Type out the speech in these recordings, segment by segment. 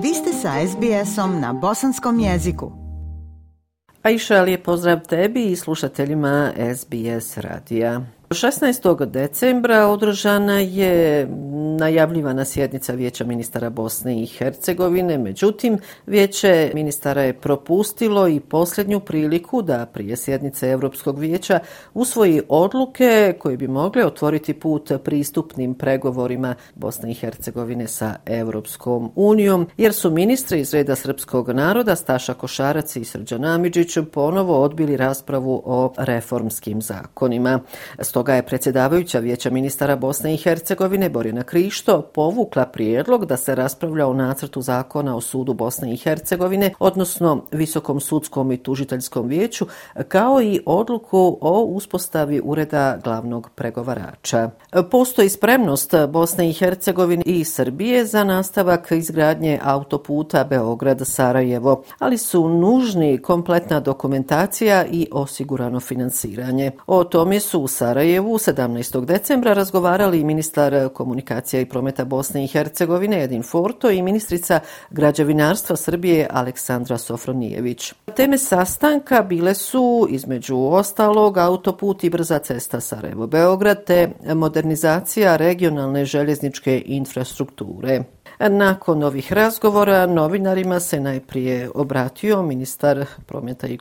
Vi ste sa SBS-om na bosanskom jeziku. Aisha, lijep pozdrav tebi i slušateljima SBS radija. 16. decembra održana je najavljivana sjednica Vijeća ministara Bosne i Hercegovine, međutim, Vijeće ministara je propustilo i posljednju priliku da prije sjednice Europskog vijeća usvoji odluke koje bi mogle otvoriti put pristupnim pregovorima Bosne i Hercegovine sa Europskom unijom, jer su ministri iz reda srpskog naroda Staša Košarac i Srđan Amidžić ponovo odbili raspravu o reformskim zakonima. Stoga je predsjedavajuća Vijeća ministara Bosne i Hercegovine Borjana Krišto povukla prijedlog da se raspravlja o nacrtu zakona o sudu Bosne i Hercegovine, odnosno Visokom sudskom i tužiteljskom vijeću, kao i odluku o uspostavi ureda glavnog pregovarača. Postoji spremnost Bosne i Hercegovine i Srbije za nastavak izgradnje autoputa Beograd-Sarajevo, ali su nužni kompletna dokumentacija i osigurano financiranje. O tome su u Sarajevu 17. decembra razgovarali i ministar komunikacija i prometa Bosne i Hercegovine Edin Forto i ministrica građevinarstva Srbije Aleksandra Sofronijević. Teme sastanka bile su, između ostalog, autoput i brza cesta Sarajevo-Beograd te modernizacija regionalne željezničke infrastrukture. Nakon ovih razgovora novinarima se najprije obratio ministar prometa i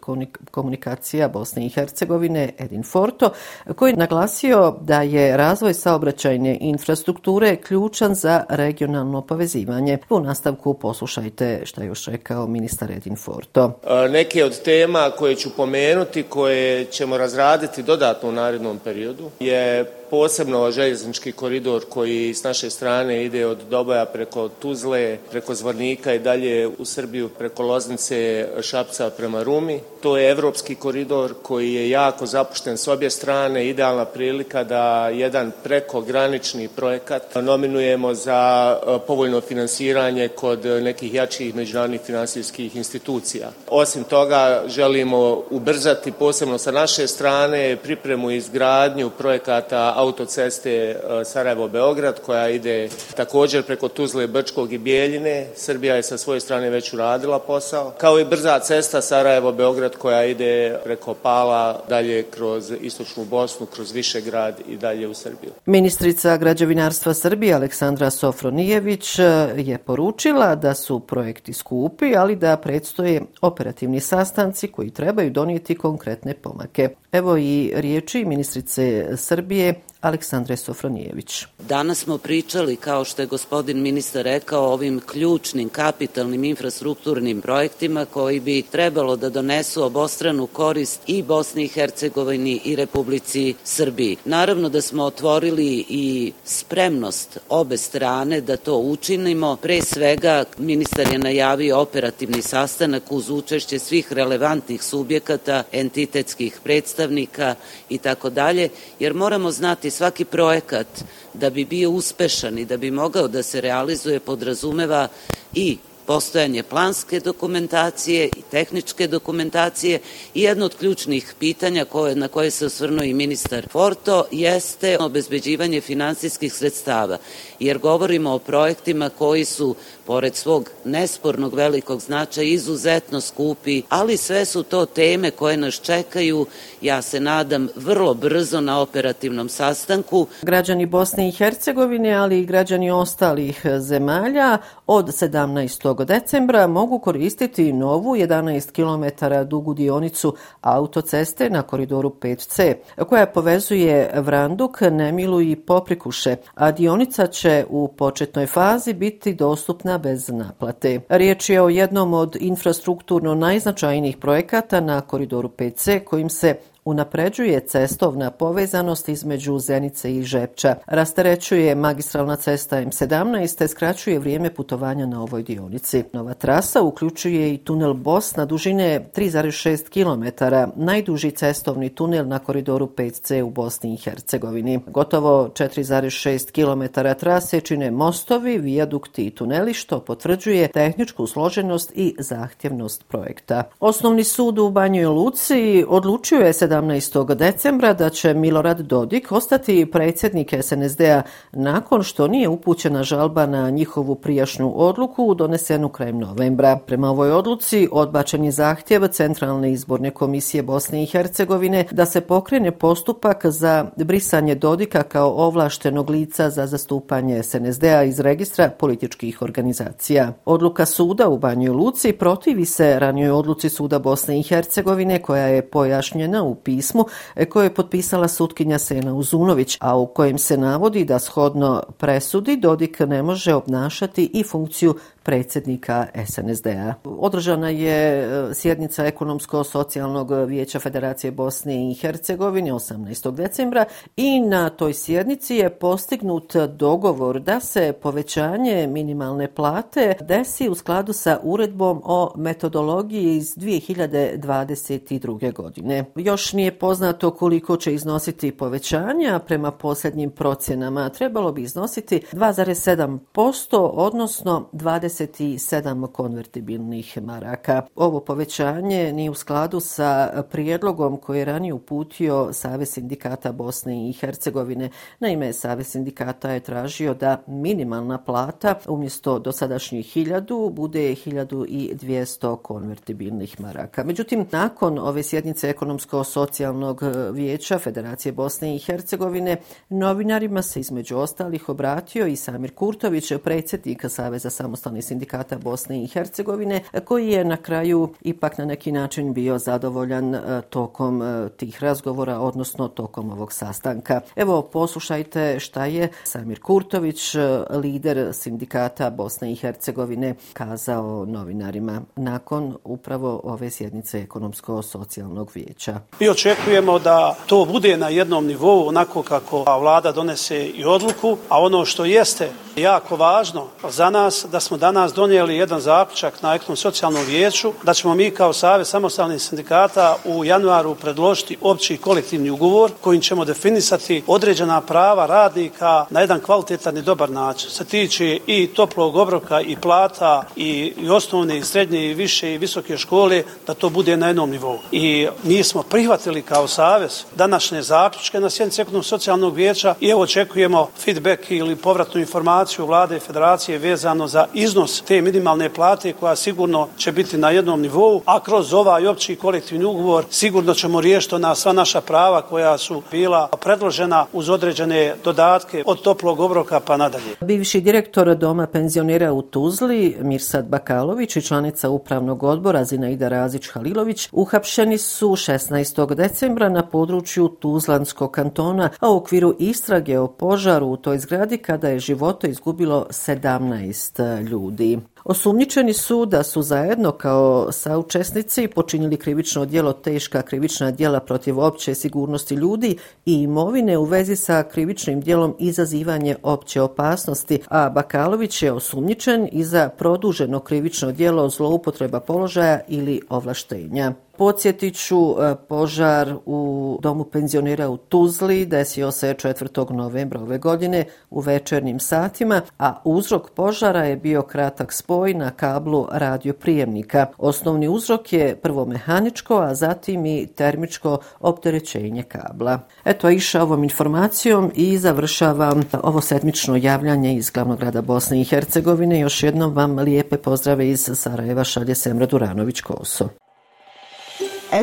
komunikacija Bosne i Hercegovine Edin Forto, koji je naglasio da je razvoj saobraćajne infrastrukture ključan za regionalno povezivanje. U nastavku poslušajte šta je još rekao ministar Edin Forto. Neke od tema koje ću pomenuti, koje ćemo razraditi dodatno u narednom periodu, je posebno željeznički koridor koji s naše strane ide od Doboja preko Tuzle, preko Zvornika i dalje u Srbiju preko Loznice, Šapca prema Rumi. To je evropski koridor koji je jako zapušten s obje strane, idealna prilika da jedan prekogranični projekat nominujemo za povoljno finansiranje kod nekih jačih međunarodnih finansijskih institucija. Osim toga, želimo ubrzati posebno sa naše strane pripremu i izgradnju projekata autoceste Sarajevo-Beograd koja ide također preko Tuzle, Brčkog i Bijeljine. Srbija je sa svoje strane već uradila posao. Kao i brza cesta Sarajevo-Beograd koja ide preko Pala, dalje kroz istočnu Bosnu, kroz Višegrad i dalje u Srbiju. Ministrica građevinarstva Srbije Aleksandra Sofronijević je poručila da su projekti skupi, ali da predstoje operativni sastanci koji trebaju donijeti konkretne pomake. Evo i riječi ministrice Srbije Aleksandre Sofronijević. Danas smo pričali, kao što je gospodin ministar rekao, o ovim ključnim kapitalnim infrastrukturnim projektima koji bi trebalo da donesu obostranu korist i Bosni i Hercegovini i Republici Srbiji. Naravno da smo otvorili i spremnost obe strane da to učinimo. Pre svega, ministar je najavio operativni sastanak uz učešće svih relevantnih subjekata, entitetskih predstavnika i tako dalje, jer moramo znati svaki projekat da bi bio uspešan i da bi mogao da se realizuje podrazumeva i postojanje planske dokumentacije i tehničke dokumentacije i jedno od ključnih pitanja na koje se osvrnuo i ministar Forto jeste obezbeđivanje finansijskih sredstava, jer govorimo o projektima koji su pored svog nespornog velikog značaja izuzetno skupi, ali sve su to teme koje nas čekaju, ja se nadam, vrlo brzo na operativnom sastanku. Građani Bosne i Hercegovine, ali i građani ostalih zemalja od 17. decembra mogu koristiti novu 11 km dugu dionicu autoceste na koridoru 5C, koja povezuje Vranduk, Nemilu i Poprikuše, a dionica će u početnoj fazi biti dostupna bez naplate. Riječ je o jednom od infrastrukturno najznačajnijih projekata na koridoru 5C kojim se unapređuje cestovna povezanost između Zenice i Žepča, rasterećuje magistralna cesta M17 te skraćuje vrijeme putovanja na ovoj dionici. Nova trasa uključuje i tunel Bosna dužine 3,6 km, najduži cestovni tunel na koridoru 5C u Bosni i Hercegovini. Gotovo 4,6 km trase čine mostovi, vijadukti i tuneli, što potvrđuje tehničku složenost i zahtjevnost projekta. Osnovni sud u Banjoj Luci odlučio je 17. 17. decembra da će Milorad Dodik ostati predsjednik SNSD-a nakon što nije upućena žalba na njihovu prijašnju odluku donesenu krajem novembra. Prema ovoj odluci odbačen je zahtjev Centralne izborne komisije Bosne i Hercegovine da se pokrene postupak za brisanje Dodika kao ovlaštenog lica za zastupanje SNSD-a iz registra političkih organizacija. Odluka suda u Banjoj Luci protivi se ranijoj odluci suda Bosne i Hercegovine koja je pojašnjena u pismu koje je potpisala sutkinja Sena Uzunović, a u kojem se navodi da shodno presudi Dodik ne može obnašati i funkciju predsjednika SNSD-a. Održana je sjednica Ekonomsko-socijalnog vijeća Federacije Bosne i Hercegovine 18. decembra i na toj sjednici je postignut dogovor da se povećanje minimalne plate desi u skladu sa uredbom o metodologiji iz 2022. godine. Još nije poznato koliko će iznositi povećanja, prema posljednjim procjenama trebalo bi iznositi 2,7%, odnosno 27 konvertibilnih maraka. Ovo povećanje nije u skladu sa prijedlogom koji je ranije uputio Savez sindikata Bosne i Hercegovine. Naime, Savez sindikata je tražio da minimalna plata umjesto dosadašnjih 1000 bude 1200 konvertibilnih maraka. Međutim, nakon ove sjednice Ekonomsko-socijalnog vijeća Federacije Bosne i Hercegovine novinarima se između ostalih obratio i Samir Kurtović, predsjednik Saveza samostalnih sindikata Bosne i Hercegovine, koji je na kraju ipak na neki način bio zadovoljan tokom tih razgovora, odnosno tokom ovog sastanka. Evo, poslušajte šta je Samir Kurtović, lider sindikata Bosne i Hercegovine, kazao novinarima nakon upravo ove sjednice Ekonomsko-socijalnog vijeća. Mi očekujemo da to bude na jednom nivou, onako kako vlada donese i odluku, a ono što jeste jako važno za nas, da smo danas donijeli jedan zaključak na Ekonomsko-socijalnom vijeću, da ćemo mi kao Savez samostalnih sindikata u januaru predložiti opći kolektivni ugovor kojim ćemo definisati određena prava radnika na jedan kvalitetan i dobar način. Se tiče i toplog obroka i plata i osnovne i srednje i više i visoke škole, da to bude na jednom nivou. I mi smo prihvatili kao Savez današnje zaključke na sjednici Ekonomsko-socijalnog vijeća i evo očekujemo feedback ili povratnu informaciju vlade i federacije vezano za iznos te minimalne plate koja sigurno će biti na jednom nivou, a kroz ovaj opći kolektivni ugovor sigurno ćemo riješiti na sva naša prava koja su bila predložena uz određene dodatke od toplog obroka pa nadalje. Bivši direktor Doma penzionera u Tuzli, Mirsad Bakalović, i članica upravnog odbora Zinaida Razić-Halilović uhapšeni su 16. decembra na području Tuzlanskog kantona, a u okviru istrage o požaru u toj zgradi kada je živote izgubilo 17 ljudi. Osumnjičeni su da su zajedno kao saučesnici počinili krivično djelo teška krivična djela protiv opće sigurnosti ljudi i imovine u vezi sa krivičnim djelom izazivanje opće opasnosti, a Bakalović je osumnjičen i za produženo krivično djelo zloupotreba položaja ili ovlaštenja. Podsjetit ću, požar u Domu penzionera u Tuzli desio se 4. novembra ove godine u večernjim satima, a uzrok požara je bio kratak spoj na kablu radioprijemnika. Osnovni uzrok je prvo mehaničko, a zatim i termičko opterećenje kabla. Eto, iša ovom informacijom i završavam ovo sedmično javljanje iz glavnog grada Bosne i Hercegovine. Još jednom vam lijepe pozdrave iz Sarajeva šalje Semra Duranović-Koso.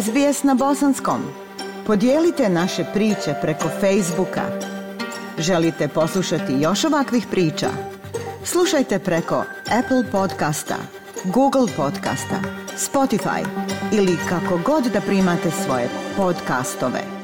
SBS na bosanskom. Podijelite naše priče preko Facebooka. Želite poslušati još ovakvih priča? Slušajte preko Apple podcasta, Google podcasta, Spotify ili kako god da primate svoje podcastove.